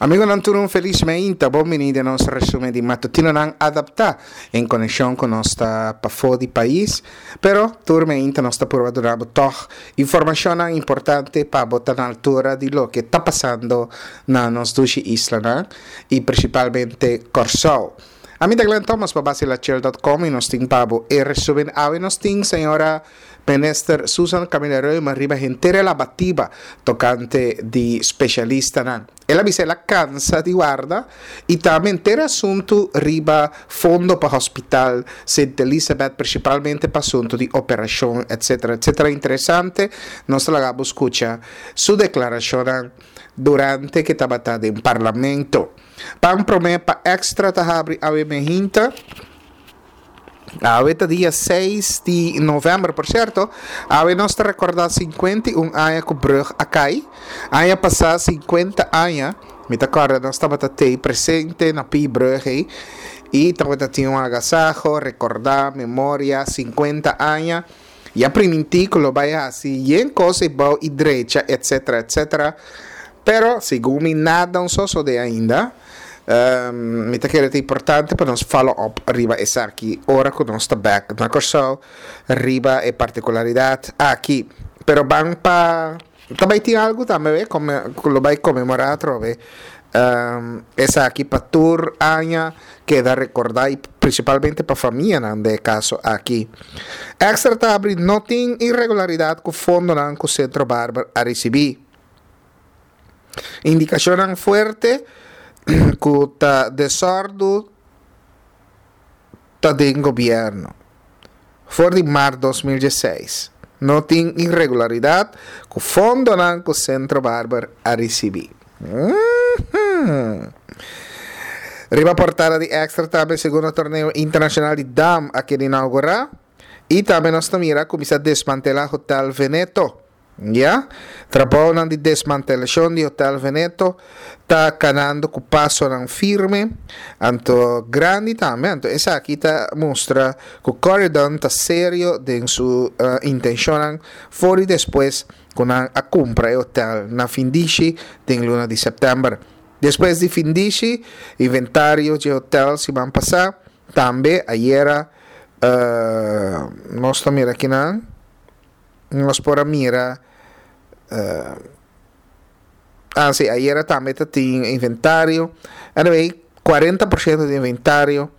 Amigonan tur un felis meinta, bon bini den nos resumen di matutinonan adapta en konekshon ku nos ta pafó di pais, pero tur meinta nos ta purba duna bo tòg informashonnan importante pa bo ta na altura di loke ta pasando na nos dushi islanan i prinsipalmente Kòrsou. Ami ta Glenn Thomas pa Basilachel dot com i nos tin pa bo e resumen awe nos tin señora Minister Susan Camilla Römer riba henter e labatiba tokante di spesialistanan. El a bisa el a kansa di warda i tambe henter e asuntu riba fondo pa hospital Sint Elisabeth prinsipalmente pa asuntu di operashon etsetera etsetera. Interesante nos ta laga bo skucha su deklarashonnan durante ke tabata den parlamento. Pan promé pa Extra ta habri awe mehinta. Awe ta dia seis di november, por cierto, awe nos ta recorda 51 aña cu brug a cay. Aña pasa 50 aña, mi ta corda nos tabata tey presente na pi brug ey y tabata tin un agasajo, recorda, memoria, 50 aña. Y a priminti cu lo bay haci yen cos ey bou y drecha etc etc. Pero segun mi nada un sosode ainda. Mi ta kere ta importante pa nos follow up riba esaki ora ku nos ta bek na Kòrsou riba e partikularidat aki. Pero ban pa ta bai tin algu tambe we ku lo bai konmemorá atrobe esaki pa tur aña keda rekordá i prinsipalmente pa famianan den e kaso aki. Extra ta abri no tin iregularidat ku fondonan ku Sentro Barber a risibí. Indikashonnan fuerte ku ta desòrdu ta den gobièrnu. For di mart 2016 no tin iregularidat ku fondonan ku Sentro Barber a risibí. Riba portada di Extra tambe segundo torneo internashonal di dam a keda inaugurá i tambe nos ta mira kuminsá desmantelá Hotel Veneto. Ya, trabounan di desmantelashon di Hotel Veneto ta kanando ku pasonan firme, anto grandi tambe, anto esaki ta mustra ku Corydon ta serio den su intenshonnan for di despues ku nan a kumpra e hotel na findishi den luna di sèptèmber. Despues di findishi inventario dje hotel siman pasá, tambe ayera nos ta mira kinan. Nos por a mira ah si ayera tambe ta tin inventario anyway 40% di inventario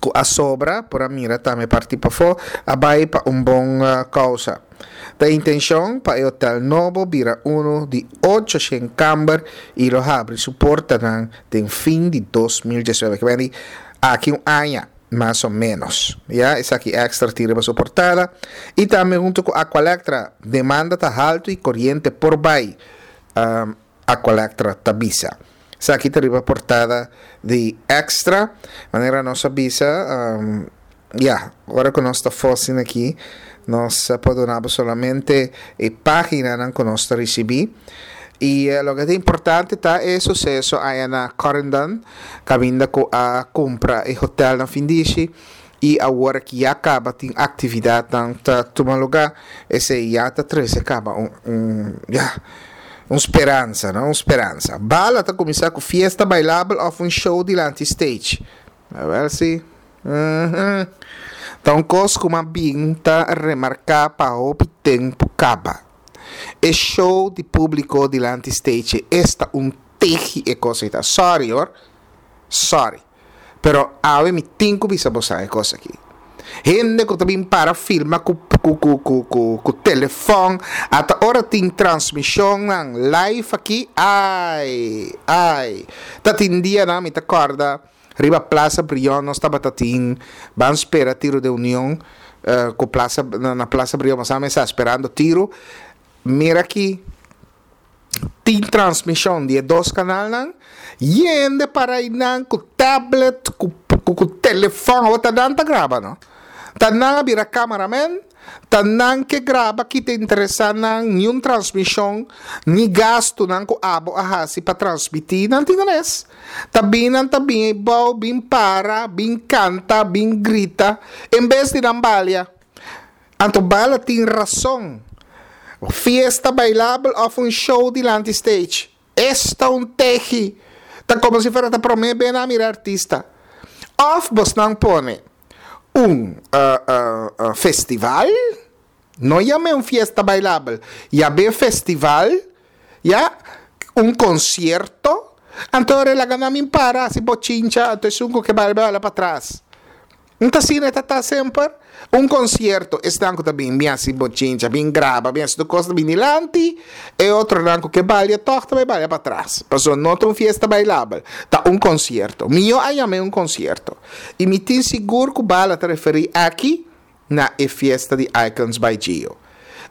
ku a sobra por a mira tambe parti pafó a bai pa un bon kousa. Ta intenshon pa e hotel nobo bira unu di 800 kamber i lo habri su portanan den fin di 2019 ke bini aki un aña. Mas o menos. Ya, esaki Extra tin riba su portada. Y tambe hunto cu Aqualectra, demanda ta halto y coriente por bay, um, Aqualectra ta bisa. Esaki ta riba portada di Extra. Manera nos a bisa, um, ya, ora cu nos ta fosin aki, nos por duna bo solamente e paginanan cu nos ta ricibi. Y loke ta importante ta e suceso aya na Corendon, caminda cu a cumpra e hotel na Findishi y awor aki ya caba tin actividadnan ta tuma lugar, esey ya ta trece caba un, un, ya, un speransa, no, un speransa. Bala ta cuminsa cu fiesta bailabel of un show dilanti stage. Awel si. Uhmm. Ta un cos cu m'a bin ta remarca pa hopi tempo caba. E show di publico dilanti stage esta un tehi e cos ei ta. Sorry hoor. Sorry. Pero awe mi tin cu bisa bosan e cos aki. Hende cu ta bin para filma cu cu cu cu cu cu telefon ata ora tin transmisionnan live aki ai ai ta tin dianan mi ta corda Riba Plaza Brion nos tabata tin ban spera tiro de Union cu Plaza na Plaza Brion nos a mesa sperando tiro. Mira aki tin transmision di e dos canalnan yende para einan cu tablet cu cu telefon awor ta nan ta graba no ta nan a bira cameraman. Ta nan ke graba ki ta interesá nan, niun transmishon, ni gastunan ku abo a hasi pa transmití, nan tin res. Ta bin nan ta bin eibou, bin para, bin kanta, bin grita, en bes di nan balia. Anto bala tin rason. Fiesta bailabel òf un show dilanti stage. Esta un tehi! Ta komo si fuera ta promé be nan a mira artista. Òf bosnan pone un festival, no yam'é un fiesta bailabel, yam'é festival, ya, un konsierto, anto ora e laga nan bin para hasi bochincha, anto esun ku ke baila bai baila patras. N ta asina e ta ta semper. Un konsierto, esnan ku ta bin bin hasi bochincha, bin graba, bin hasi tur kos ta bin dilanti, e otronan ku ke balia tòg ta bai balia patras. Pasobra no ta un fiesta bailabel, ta un konsierto. Mihó a yam'é un konsierto. I mi tin sigur ku Bala ta referí aki na e fiesta di Icons by Gio.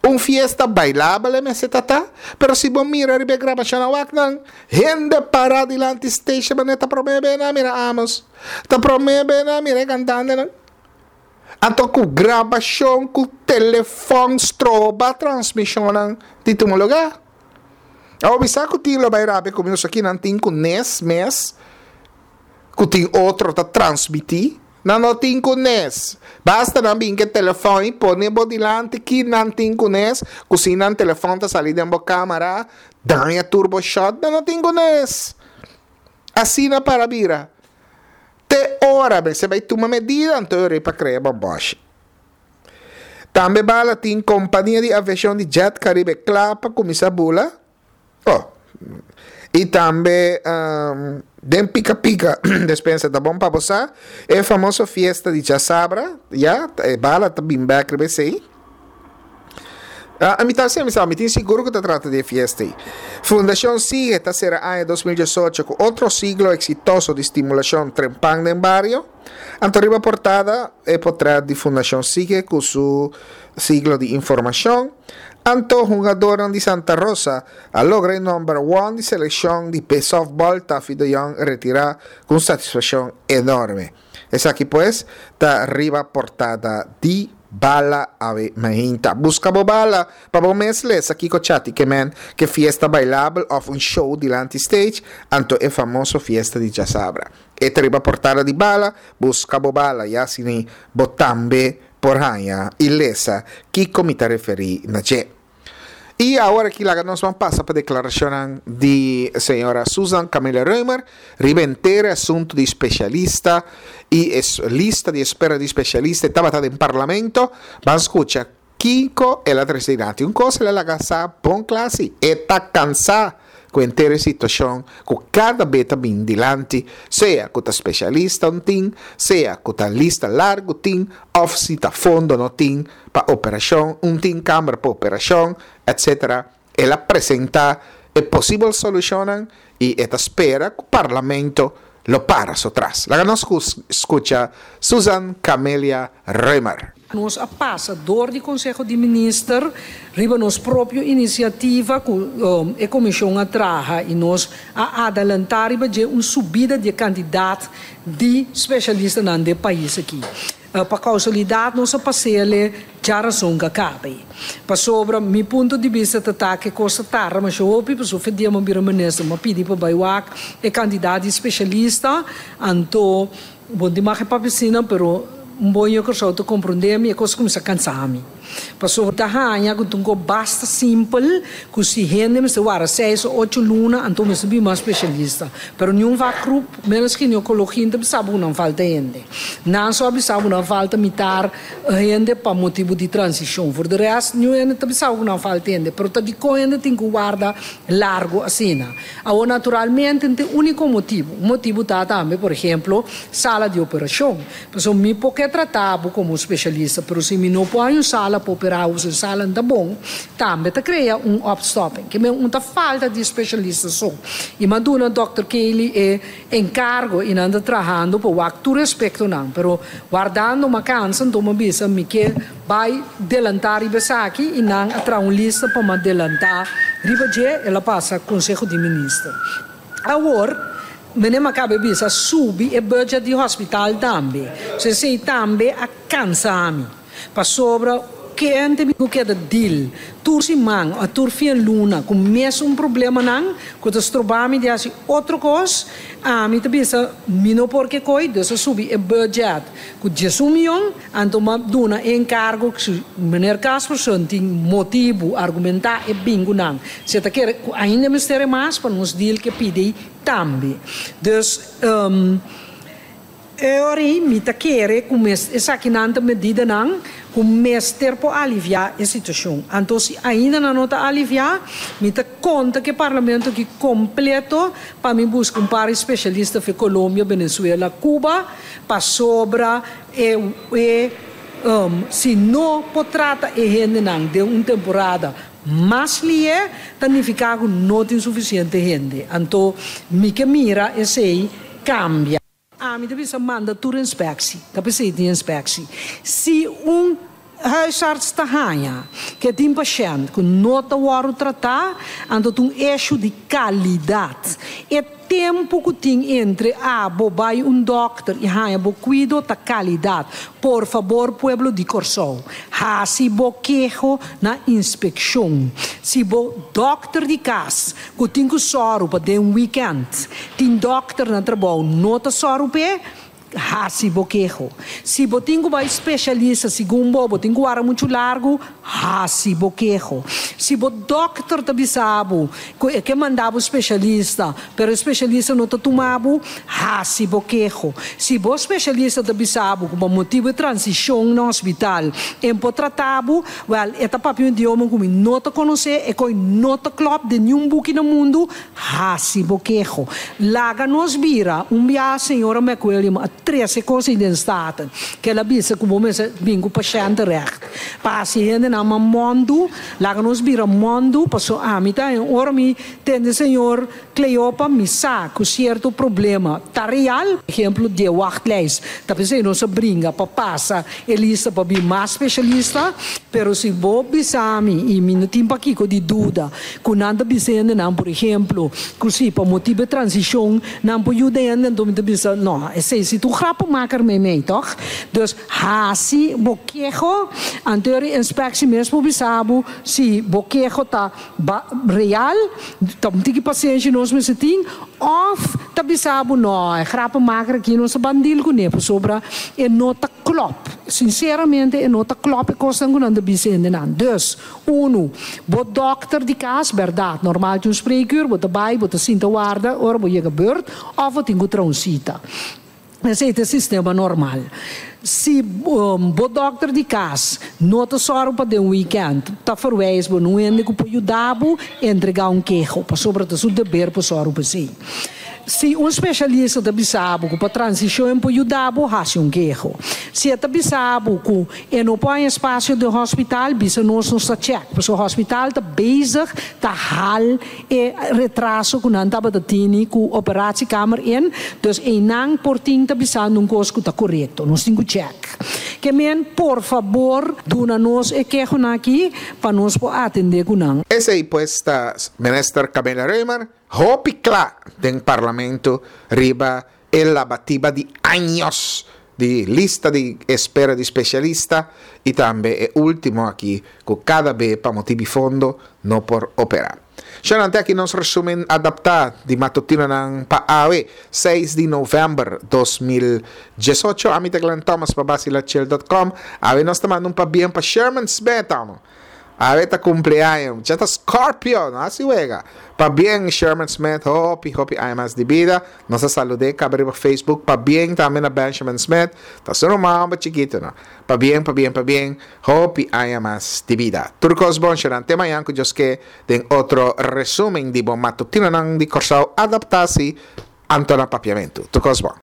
Un fiesta bailabel e mester ta ta, pero si bo mira riba e grabashonnan wak nan, hende pará dilanti station manera ta promé be nan mira Amos. Ta promé be nan mira e kantantenan. Anto ku grabashon ku telefòn stroba transmishonnan di tuma lugá. Awor mi sa ku tin lo bai rabia ku mi pasobra kinan tin ku nes mes ku tin otro ta transmití. Nan no tin ku nes. Basta nan bin ke telefòn i pone bo dilanti ki nan tin ku nes, ku si nan telefòn ta sali den bo kámara, daña tur bo shòt, nan no tin ku nes. Asina para bira. Te ora mester bai tuma medida anto e ora pa krea bòmbòshi. Tambe bala tin kompania di aviashon di Jet Caribe kla pa kuminsá bula. Oh. I tambe den Pika Pika despensa ta bon pa bo sa, e famoso fiesta di djasabra, ya, e bala ta bin bek riba esei. Ah, mi ta hasi mi sa, mi tin sigur ku ta trata di e fiesta ei. Fundashon Sige ta sera aña 2018 ku otro siglo eksitoso di stimulashon trempan den bario. Anto riba portada e potret di Fundashon Sige ku su siglo di informashon. Anto hungadornan di Santa Rosa a logra e number one di selekshon di softball Taffy de Jong retirá ku un satisfakshon enorme. Esaki pues ta riba portada di Bala Awe Mainta. Buska bo bala pa bo mes lesa kiko chati ke men ke fiesta bailabel òf un show dilanti stage anto e famoso fiesta di djasabra. E ta riba portada di Bala, buska bo bala ya asina bo tambe por haña i lesa kiko mi ta referí na dje. I awor aki laga nos ban pasa pa deklarashonnan di señora Susan Camilla Römer riba henter e asuntu di spesialista i e lista di espera di spesialista e tabata den parlamento. Ban skucha kiko el a trese dilanti. Un kos el a laga sa bon kla si, e ta kansá ku henter e situashon ku kada be ta bin dilanti, sea ku ta spesialista un tin, sea ku ta lista largu tin òf si ta fondo no tin pa operashon, un tin kamber pa operashon, etc. El a presentá e posibel solushonnan i e ta spera ku Parlamento lo para su tras. Laga nos skucha Susan Camelia Römer. Nos a pasa dor di Conseho di Minister riba nos propio iniciativa cu e comision a traha y nos a adelanta riba dje un subida di e cantidad di specialistanan den pais aki. Pa causalidad nos a pasele djarason ca cabe. Pasobra mi punto di bista ta ta cu e cos ta tarda masha hopi pasobra fe dia mi a bira minister mi a pidi pa bay wak e cantidad di specialista anto Bon di magia papia asina, pero un bon yu Kòrsou ta komprondé mi, e kos kuminsá kansa mi. Pasobra ta haña ku ta un kos basta simpel ku si hende mester wara seis o ocho luna anto mester bin mas spesialista. Pero niun vakgroep, ménos ginekologia, no ta bisa bo ku nan falta hende. Nan so a bisa bo nan falta mitar hende pa motibu di transishon. For de rèst, niun hende ta bisa bo ku nan falta hende. Pero ta dikon hende tin ku warda largu asina? Awor naturalmente no ta e úniko motibu. Un motibu ta tambe, por ehemplo, sala di operashon. Pasobra mi por ke trata bo komo un spesialista, pero si mi no por haña un sala pa operá bo, si e sala no ta bon, tambe ta krea un opstopping. Ke men un ta falta di spesialista so. I mi a duna dòkter Kaylee e enkargo i nan ta trahando pa wak tur aspektonan. Pero wardando mi a kansa, anto mi a bisa mi ke Bai delantá riba esaki i nan a traha un lista pa ma delantá riba dje, el a pasa Konseho di Minister. Awor, meneer Makabe bisa subi e budget di hospital tambe. So esei tambe a kansa mi. Pasobra. Kende mi ku keda deal tur siman o tur fin luna ku mesun problemanan ku ta stroba mi di hasi otro kos, ami ta bisa mi no por ke koi, dus a subi e budget ku 11 mion, anto m'a duna e enkargo ku si meneer Casperson tin motibu argumentá e bin ku nan. Si e ta kere ku ainda mester e mas pa nos deal ke pidi tambe. Dus. E ora ei mi ta kere ku mes esakinan ta medidanan ku mester por aliviá e situashon. Anto si ainda nan no ta aliviá, mi ta konta ku e parlamento aki kompleto pa mi buska un par di spesialista for Colombia, Venezuela, Cuba, pasobra e e si no por trata e hendenan den un temporada mas lié, ta nifiká ku no tin sufisiente hende. Anto mi ke mira esei kambia. Ami ta bisa manda tur inspectie, ta p'esei tin inspectie. Si un huisarts ta haña ke tin pashènt ku no ta wòrdu tratá, anto ta un issue di kalidat. E tempu ku tin entre abo bai un dòkter i haña bo kuido ta kalidat. Por fabor pueblo di Kòrsou, hasi bo keho na inspekshon. Si bo dòkter di kas ku tin ku sòru pa den wikènt tin dòkter na trabou no ta sòru p'e, hasi bo keho. Si bo tin ku bai spesialista segun bo, bo tin ku wara muchu largu, hasi bo keho. Si bo dòkter ta bisa bo ku e ke manda bo spesialista, pero e spesialista no ta tuma bo, hasi bo keho. Si bo spesialista ta bisa bo ku pa motibu e transishon na hospital e por trata bo, Wèl, e ta papia un idioma ku mi no ta konosé, e koi no ta klòp den niun buki na mundu. Hasi bo keho. Laga nos bira. Un biaha señora McWilliam a trese kos ei den Staten, ku el a bisa ku bo mester bin ku pashèntenrecht pa hasi hendenan mas mòndu. Laga nos bira mòndu, pasobra ami ta en ora mi tende señor Cleopa, mi sa ku sierto problema ta real. Ehemplo di e wachtlijst. Ta p'esei nos a bringa pa pasa e lista pa bin mas specialista, pero si bo bisa mi, y mi no tin pakico di duda, cu nan ta bisa hendenan, por ehemplo, cu si pa motibo e transicion nan por yuda hende, anto mi ta bisa, no, esei si ta un grappenmaker meimei, toch? Dus haci bo keho, anto e inspectie mes por bisa bo si bo keho ta Ba real, ta un tiki pasenshi nos mester tin, of ta bisa bo no, e grappenmaker aki nos ta ban deal kuné pasobra e no ta klop. Sinceramente e no ta klop e kosnan ku nan ta bisa hendenan. Dus, unu, bo dokter di kas, bèrdat, normal tin un spreekuur, bo ta bai, bo ta sinta warda ora bo yega beurt, of bo tin ku traha un sita. Esei ta e sistema normal. Si bo dòkter di kas no ta sòru pa den wikènt, ta ferwijs bo na un hende ku por yuda bo entregá un keho, pasobra ta su deber pa sòru pa esei. Si un spesialista ta bisa bo ku pa transishon por yuda bo, hasi un keho. Si e ta bisa bo ku e no por haña espasio den hospital, bisa nos, nos ta chèk, pasobra hospital ta bezig ta hal E retraso ku nan tabata tini ku operatiekamer in, dus einan por tin ta bisando un kos ku ta korekto. Nos tin ku chèk. Ke men, por fabor duna nos e kehonan aki pa nos por atendé ku nan. Esei pues ta Minister Camelia Römer hopi kla den Parlamento riba e labatiba di años di lista di espera di specialista y tambe e ultimo aki cu cada be pa motibi fondo no por opera. Shonante aki nos resumen adapta di matutinonan pa awe, 6 di november 2018. Ami ta Glenn Thomas pa Basilachel dot com. Awe nos ta manda un pabien pa Sherman Smith, amo. Awe ta cumpleaños, mucha ta Scorpio, no haci wega. Pabien Sherman Smith, hopi hopi aña mas di bida. Nos a salud'é caba riba Facebook. Pabien tambe na Benjamin Smith, ta su ruman homber chikito no. Pabien, pabien, pabien, hopi aña mas di bida. Tur cos bon Sherman, te mañan cu Dios ke den otro resumen di bo matutinonan di Corsou adapta si anto na Papiamentu. Tur cos bon.